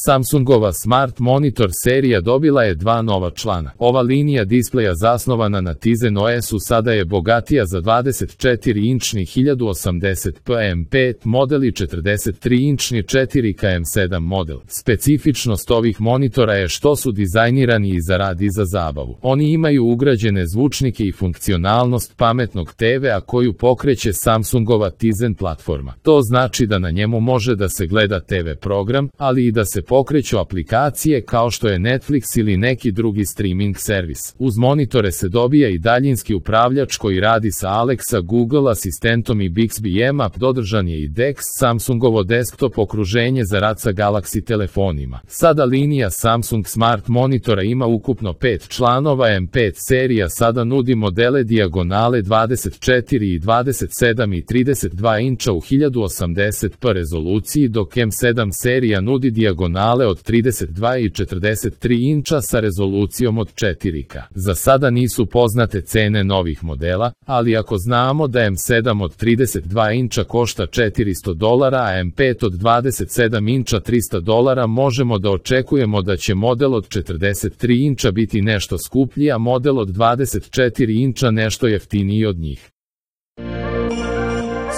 Samsungova Smart Monitor serija dobila je 2 nova člana. Ova linija displeja zasnovana na Tizen OS-u sada je bogatija za 24-inčni 1080p M5 model i 43-inčni 4K M7 model. Specifičnost ovih monitora je što su dizajnirani i za rad i za zabavu. Oni imaju ugrađene zvučnike i funkcionalnost pametnog TV-a koju pokreće Samsungova Tizen platforma. To znači da na njemu može da se gleda TV program, ali i da se pokreću aplikacije kao što je Netflix ili neki drugi streaming servis. Uz monitore se dobija i daljinski upravljač koji radi sa Alexa, Google asistentom i Bixby M App. Dodržan je i DeX, Samsungovo desktop okruženje za rad sa Galaxy telefonima. Sada linija Samsung Smart Monitora ima ukupno 5 članova. M5 serija sada nudi modele dijagonale 24 i 27 i 32 inča u 1080p rezoluciji, dok M7 serija nudi dijagonale od 32 i 43 inča sa rezolucijom od 4K. Za sada nisu poznate cene novih modela, ali ako znamo da M7 od 32 inča košta $400, a M5 od 27 inča $300, možemo da očekujemo da će model od 43 inča biti nešto skuplji, a model od 24 inča nešto jeftiniji od njih.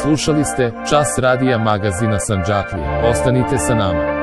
Slušali ste Čas radija magazina Sandžaklija. Ostanite sa nama.